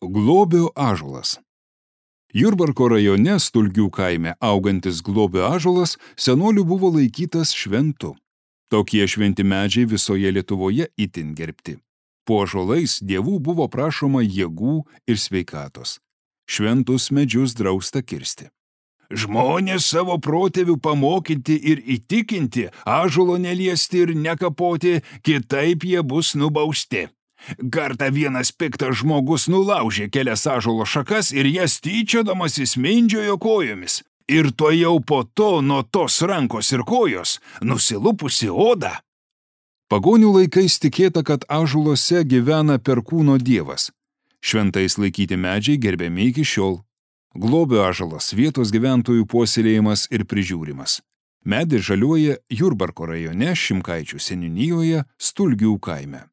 Globio ąžuolas. Jurbarko rajone Stulgių kaime augantis Globio ąžuolas senolių buvo laikytas šventu. Tokie šventi medžiai visoje Lietuvoje itin gerbti. Po ąžuolais dievų buvo prašoma jėgų ir sveikatos. Šventus medžius drausta kirsti. Žmonės savo protėvių pamokinti ir įtikinti, ąžuolo neliesti ir nekapoti, kitaip jie bus nubausti. Kartą vienas piktas žmogus nulaužė kelias ąžuolo šakas ir jas tyčiodamasis mindžiojo kojomis. Ir tuojau po to nuo tos rankos ir kojos nusilupusi oda. Pagonių laikais tikėta, kad ąžuoluose gyvena perkūno dievas. Šventais laikyti medžiai gerbiami iki šiol. Globio ąžuolas vietos gyventojų puoselėjimas ir prižiūrimas. Medis žaliuoja Jurbarko rajone Šimkaičių seniūnijoje Stulgių kaime.